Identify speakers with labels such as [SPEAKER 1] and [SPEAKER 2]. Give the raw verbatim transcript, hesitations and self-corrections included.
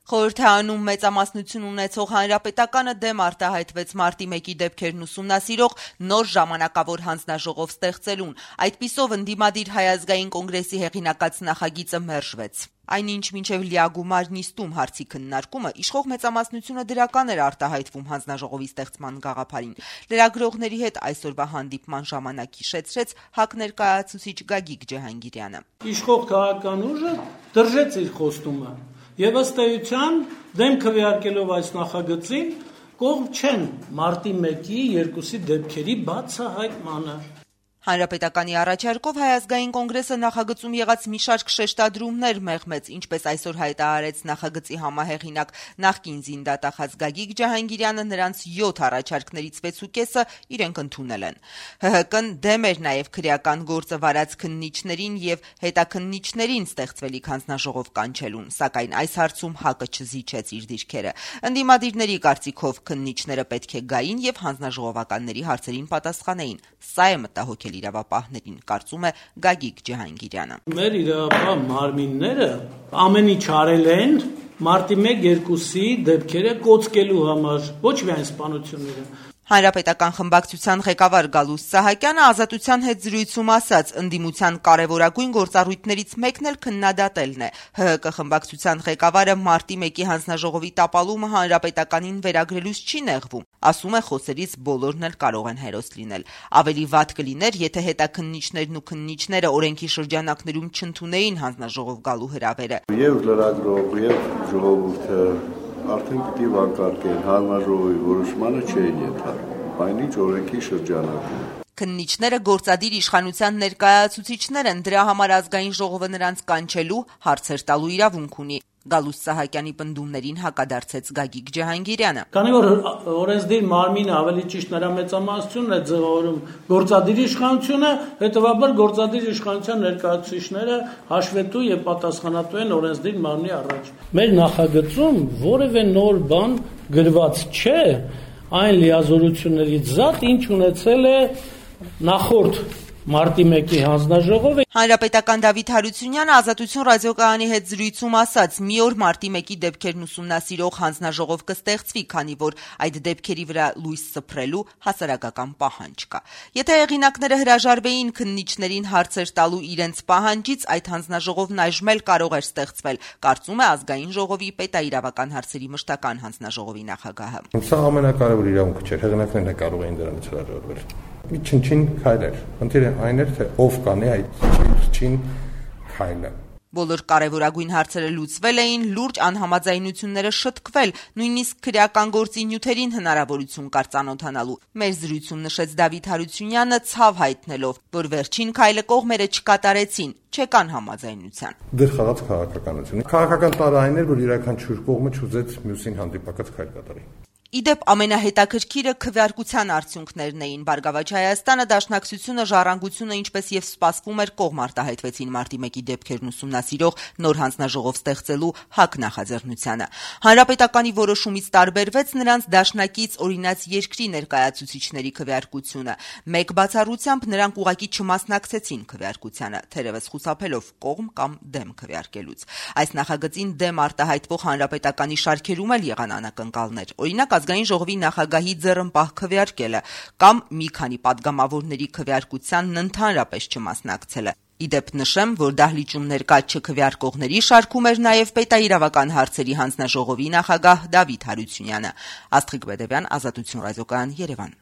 [SPEAKER 1] Խորհրդարանում մեծամասնություն ունեցող Հանրապետականը դեմ արտահայտվեց մարտի մեկի դեպքերն ուսումնասիրող նոր ժամանակավոր հանձնաժողով ստեղծելուն։ Այդպիսով ընդդիմադիր Հայ ազգային կոնգրեսի հեղինակած նախագիծը մերժվեց։ Այնինչ մինչև լիագումար նիստում հարցի քննարկումը իշխող մեծամասնությունը դրական էր արտահայտվում հանձնաժողովի ստեղծման գաղափարին։ Լրագրողների հետ այսօրվա հանդիպման ժամանակ հիշեցրեց ՀԱԿ ներկայացուցիչ Գագիկ Ջհանգիրյանը։
[SPEAKER 2] Իշխող քաղաքական ուժը դրժեց իր խոստումը եւ ըստ էության դեմ քվեարկելով այս նախագծին կողմ չեն մարտի մեկի երկուսի դեպքերի բացահայտմանը։
[SPEAKER 1] Հանրապետականի առաջարկով Հայ ազգային կոնգրեսը նախագծում եղած մի շարք շեշտադրումներ մեղմեց, ինչպես այսօր հայտարարեց նախագծի համահեղինակ նախկին զինդատախազ Գագիկ Ջհանգիրյանը, նրանց յոթ առաջարկներից վեցուկեսը իրենք ընդունել են։ ՀՀԿ-ն դեմ էր նաև քրեական գործը վարած քննիչներին եւ հետաքննիչներին ստեղծվելիք հանձնաժողով կանչելուն, սակայն այս հարցում ՀԱԿ-ը չզիջեց իր դիրքերը։ Ընդդիմադիրների կարծիքով քննիչները պետք է գային եւ հանձնաժողովականների հարցերին պատասխանեին։ Սա է մտահոգել իրավապահներին, կարծում է Գագիկ Ջհանգիրյանը։
[SPEAKER 2] Մեր իրավապահ մարմինները ամեն ինչ արել են մարտի մեկ երկուսի դեպքերը կոծկելու համար, ոչ միայն սպանությունները։
[SPEAKER 1] Հանրապետական խմբակցության ղեկավար Գալուստ Սահակյանը Ազատության հետ զրույցում ասաց, ընդդիմության կարևորագույն գործառույթներից մեկն էլ քննադատելն է։ ՀՀԿ խմբակցության ղեկավարը մարտի մեկի հանձնաժողովի տապալումը հանրապետականին վերագրելուց չի նեղվում։ Ասում է, խոսերից բոլորն էլ կարող են հերոս լինել։ Ավելի վատ կլիներ, եթե հետաքննիչներն ու քննիչները օրենքի շրջանակներում չընդունեին հանձնաժողով գալու հրավերը։
[SPEAKER 3] Եվ լրագրող, եւ ժողովուրդը արդեն պիտի վանկարկեն հանձնաժողովի որոշմանը չէին ենթարկվում, այնինչ օրենքի շրջանակում։
[SPEAKER 1] Քննիչները գործադիր իշխանության ներկայացուցիչներ են, դրա համար ազգային ժողովը նրանց կանչելու, հարցեր տալու իրավունք ունի։ Գալուստ Սահակյանի պնդումներին հակադարձեց Գագիկ Ջհանգիրյանը։
[SPEAKER 2] Քանի որ օրենսդիր մարմինը ավելի ճիշտ նրա մեծամասնությունն է ձևավորում գործադիր իշխանությունը, հետևաբար գործադիր իշխանության ներկայացուցիչները հաշվետու եւ պատասխանատու են օրենսդիր մարմնի առաջ։ Մեր նախագծում որևէ նոր բան գրված չէ, այն լիազորություններից զատ, ինչ ունեցել է նախորդ մարտի մեկի հանձնաժողովը։
[SPEAKER 1] Հանրապետական Դավիթ Հարությունյանը Ազատություն ռադիոկայանի հետ զրույցում ասաց, մի օր մարտի մեկի դեպքերն ուսումնասիրող հանձնաժողով կստեղծվի, քանի որ այդ դեպքերի վրա լույս սփռելու հասարակական պահանջ կա։ Եթե հեղինակները հրաժարվեին քննիչներին հարցեր տալու իրենց պահանջից, այդ հանձնաժողովն այժմ էլ կարող էր ստեղծվել, կարծում է ազգային ժողովի պետաիրավական հարցերի մշտական հանձնաժողովի նախագահը։
[SPEAKER 4] Սա ամենակարևոր իրավունքը չէր, հեղինակներն է կարող էին դրանից հրաժարվել։ Մի չնչին քայլ էր։ Ընթերը այն էր, թե ով կանի այդ չին քայլը։
[SPEAKER 1] Բոլոր կարևորագույն հարցերը լուծվել էին, լուրջ անհամաձայնությունները շտկվել, նույնիսկ քրեական գործի նյութերին հնարավորություն կար ծանոթանալու։ Մեր զրույցում նշեց Դավիթ Հարությունյանը, ցավ հայտնելով, որ վերջին քայլը կողմերը չկատարեցին, չեկան համաձայնության։
[SPEAKER 4] Դեռ խաղաց քաղաքականություն։ Քաղաքական տարային էր, որ յուրաքանչյուր կողմը չուզեց մյուսին հանդիպակաց քայլ կատարի։
[SPEAKER 1] Իդեպ ամենահետաքրքիրը քվեարկության արդյունքներն էին։ Բարգավաճ Հայաստանը, Դաշնակցությունը, Ժառանգությունը, ինչպես եւ սպասվում էր, կողմ արտահայտվեցին մարտի մեկի դեպքերն ուսումնասիրող նոր հանձնաժողով ստեղծելու ՀԱԿ նախաձեռնությանը։ Հանրապետականի որոշումից տարբերվեց նրանց դաշնակից օրինաց երկրի ներկայացուցիչների քվեարկությունը։ Մեկ բացառությամբ նրանք ուղղակի չմասնակցեցին քվեարկությանը, թերևս խուսափելով կողմ կամ դեմ քվեարկելուց։ Այս նախագծին դեմ արտահայտվող հանրապետականի շարքերում էլ եղան անակնկալներ։ Օրինակ ազգային ժողովի նախագահի ձեռնպահ քվեարկելը կամ մի քանի падգամավորների քվեարկությանն ընդհանրապես չմասնակցելը։ Իդեպ նշեմ, որ դահլիճում ներկա չքվեարկողների շարքում էր նաև պետաիրավական հարցերի հանձնաժողովի նախագահ Դավիթ Հարությունյանը։ Աստղիկ Բեդևյան, Ազատություն ռադիոկայան, Երևան։